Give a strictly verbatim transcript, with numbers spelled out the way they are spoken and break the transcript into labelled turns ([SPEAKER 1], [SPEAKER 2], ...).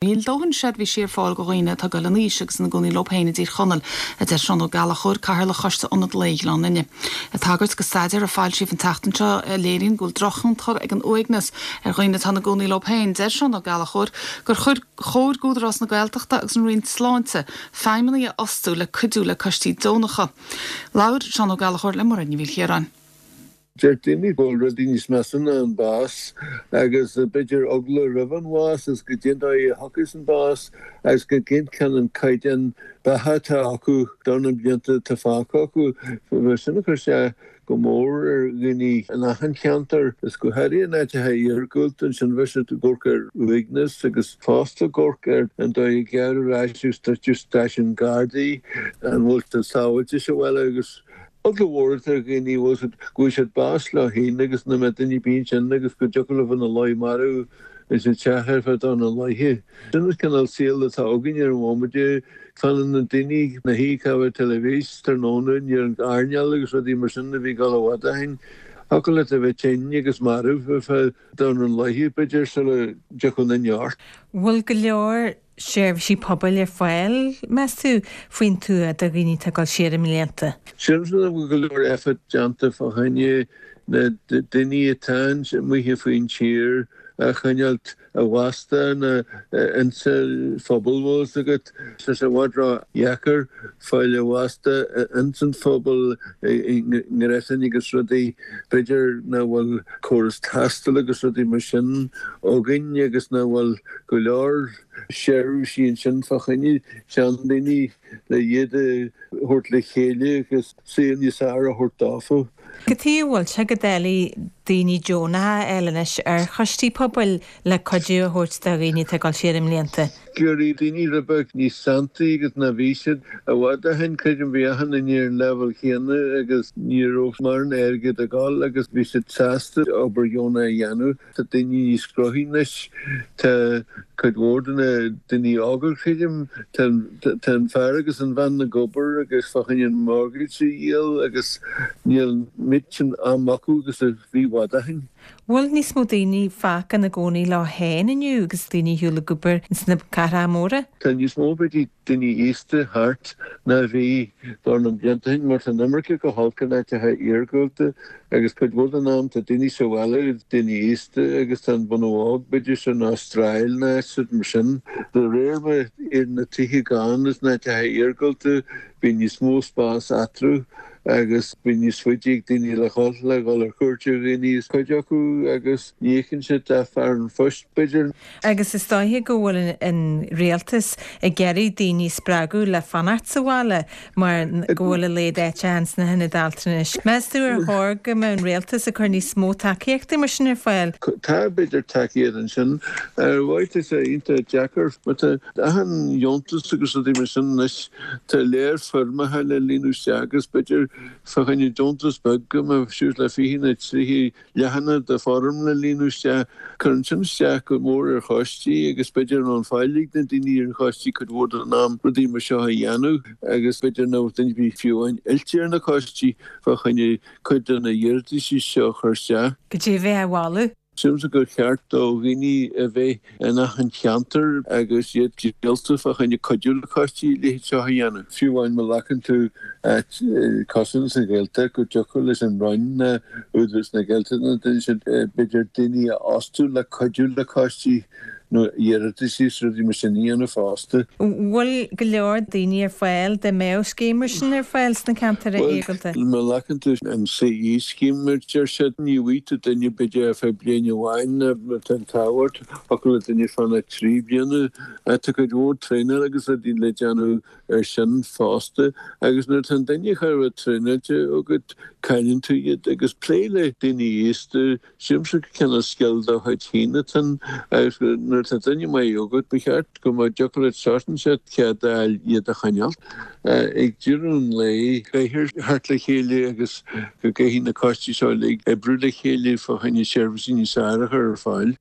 [SPEAKER 1] Níl dóthain seirbhísí ar fáil do dhaoine atá ag dul in aois agus ina gcónaí leo féin i dTír Chonaill, a deir Seán Ó Gallchóir, Cathaoirleach Choiste Ionad Lae Ghleann Fhinne. Ag tagairt do staidéar a foilsíodh an tseachtain seo a léiríonn go bhfuil drochthionchar ag an uaigneas ar dhaoine atá ina gcónaí leo féin, deir Seán Ó Gallchóir gur chuir chóir d'Údarás na Gaeltachta agus an Roinn Sláinte feidhmeannaigh a fhostú le cuidiú le coistí deonacha. Labhair Seán Ó Gallchóir le Muireann Ní Mhaoilchiaráin.
[SPEAKER 2] Deir daoine go bhfuil rudaí níos measa ná an bás agus b'fhéidir eagla roimh an bhás is go dtéann a thiocfas an bás agus go gcén an caighdeán beatha atá acu do na blianta atá fágtha acu. Sin a chuir sé go mór ar dhaoine in achan cheantar is go háirithe in áiteacha iargúlta ansin bheith siad ag amharc ar uaigneas agus fosta ag amharc ar an dóigh a gearradh ar ais agus druideadh stáisiún Gardaí an bhfuil siad sábháilte sa bhaile agus eagla mhór ar dhaoine go bhfuil siad bás leo féin agus nach mbeadh duine ar bith ansin agus go dtiocfadh leo ina luí marbh sa teach ar feadh dornán laetha. Sin an cineál saol atá againn ar an bhomaite fanann na daoine ina shuí ag amharc teilifís tráthnóna ar an airneál agus rudaí mar sin a bhí ag dul i bhfad ó shin. Thiocfadh leat a bheith tinn agus marbh ar feadh dornán laetha b'fhéidir sula dtiocfadh duine ort.
[SPEAKER 3] Bhfuil go leor seirbhísí pobail ar fáil meas tú faoin tuath do dhaoine atá ag dul siar i mblianta.
[SPEAKER 2] Sílimse nach bhfuil go leor effort déanta fá choinne na daoine atá amuigh faoin tír a choinneáil i bhfostú nó insa phobal bhfuil fhios agat. Tá sé i bhfad ró-dheacair fáil i bhfostú ins an phobal i ngréasáin agus rudaí b'fhéidir nach bhfuil córas taistil agus rudaí mar sin againn agus nach bhfuil go leor seirbhísí ansin fá choinne seandaoine le iad a thabhairt le chéile agus saol níos fearr a thabhairt dófa.
[SPEAKER 3] Cad chuige a bhfuil sé go doiligh daoine deonacha a fháil anois ar choistí pobail le cuidiú a thabhairt do dhaoine atá ag dul siar i mblianta.
[SPEAKER 2] Go raibh daoine rud beag níos santaí agus ná bhí siad i bhfad ó shin creidim bhí achan duine ar an leibhéal chéanna agus ní raibh mórán airgead ag dul agus bhí siad sásta obair dheonach a dhéanamh. Tá daoine níos gnóthaí anois tá cuid mhór de na daoine óga creidim tá an fear agus an bhean ag obair agus fá choinne an mortgage a dhíol agus níl an méid sin am acu agus a bhí i bhfad ó shin.
[SPEAKER 3] Bhfuil níos mó daoine fágtha ina gcónaí leo féin inniu agus daoine ar shiúl ag obair sna cathracha móra?
[SPEAKER 2] Tá níos mó b'fhéidir daoine aosta thart ná bhí dornán blianta ó shin mar tá an imirce go holc in áiteacha iargúlta agus cuid mhór den am tá daoine sa bhaile daoine aosta agus tá an bunadh óg b'fhéidir san Astráil nó áit mar sin. De réir mar iad na tithe gann is in áiteacha iargúlta bhí níos mó spás eatarthu agus bhí níos faide ag daoine le dhul le dhul ar cuairt ar dhaoine is cuid acu agus ní fheiceann siad a fear an phoist b'fhéidir.
[SPEAKER 3] Agus is dóiche go bhfuil an rialtas ag iarraidh daoine spreagadh le fanacht sa bhaile mar go bhfuil a laghad áiteacha sna hionaid altranais. Meas tú ar chóir go mbeadh an rialtas ag cur níos mó tacaíochta mar sin ar fáil?
[SPEAKER 2] Tá b'fhéidir tacaíocht ansin ar mhaith is é iontach deacair mar tá achan dheontas agus rudaí mar sin anois tá léir foirmeacha le líonadh isteach agus b'fhéidir fá choinne deontas beag go mbeadh suas le fiche nó tríocha leathanach de foirm le líonadh isteach cuireann sin isteach go mór ar choistí agus b'fhéidir an fáil ag na daoine ar an choistí cuid mhór den am rudaí mar seo a dhéanamh agus b'fhéidir nach duine bhí fiú amháin oilte ar na coistí fá choinne cuid de na hiarratais seo a chur isteach.
[SPEAKER 3] Go dtí a bheith a bhailiú.
[SPEAKER 2] Sílimse gur cheart do dhaoine a bheith in achan cheantar agus iad díolta fá choinne cuidiú le coistí le seo a dhéanamh. Fiú amháin má ghlacann tú cosúil sa Ghaeltacht go dtiocfadh leis an Roinn Údarás na Gaeltachta duine siad b'fhéidir daoine a fhostú le cuidiú le coistí nó iarratais rudaí mar sin a dhéanamh fosta.
[SPEAKER 3] Bhfuil go leor daoine ar fáil dá mbeadh scéim mar sin ar fáil sna ceantair iargúlta.
[SPEAKER 2] Má ghlacann tú an CE scheme mar deir siad ní bhfaighidh tú duine b'fhéidir ar feadh bliain amháin tá an tábhacht thiocfadh le duine fanacht trí bliana tá cuid mhór traenáil agus rudaí le déanamh ar sin fosta agus nuair tá an duine chur a traenáilte agat cailleann tú iad agus plé le daoine aosta sílimse cineál scil dá chuid féin atá agus nuair tá duine maith agat ba cheart go mbeadh dtiocfadh leat sort siad cead a fháil iad a choinneáil ag deireadh an lae caithfear theacht le chéile agus go gcaithfidh na coistí seo uilig oibriú le chéile fá choinne seirbhísí níos fearr a chur ar fáil.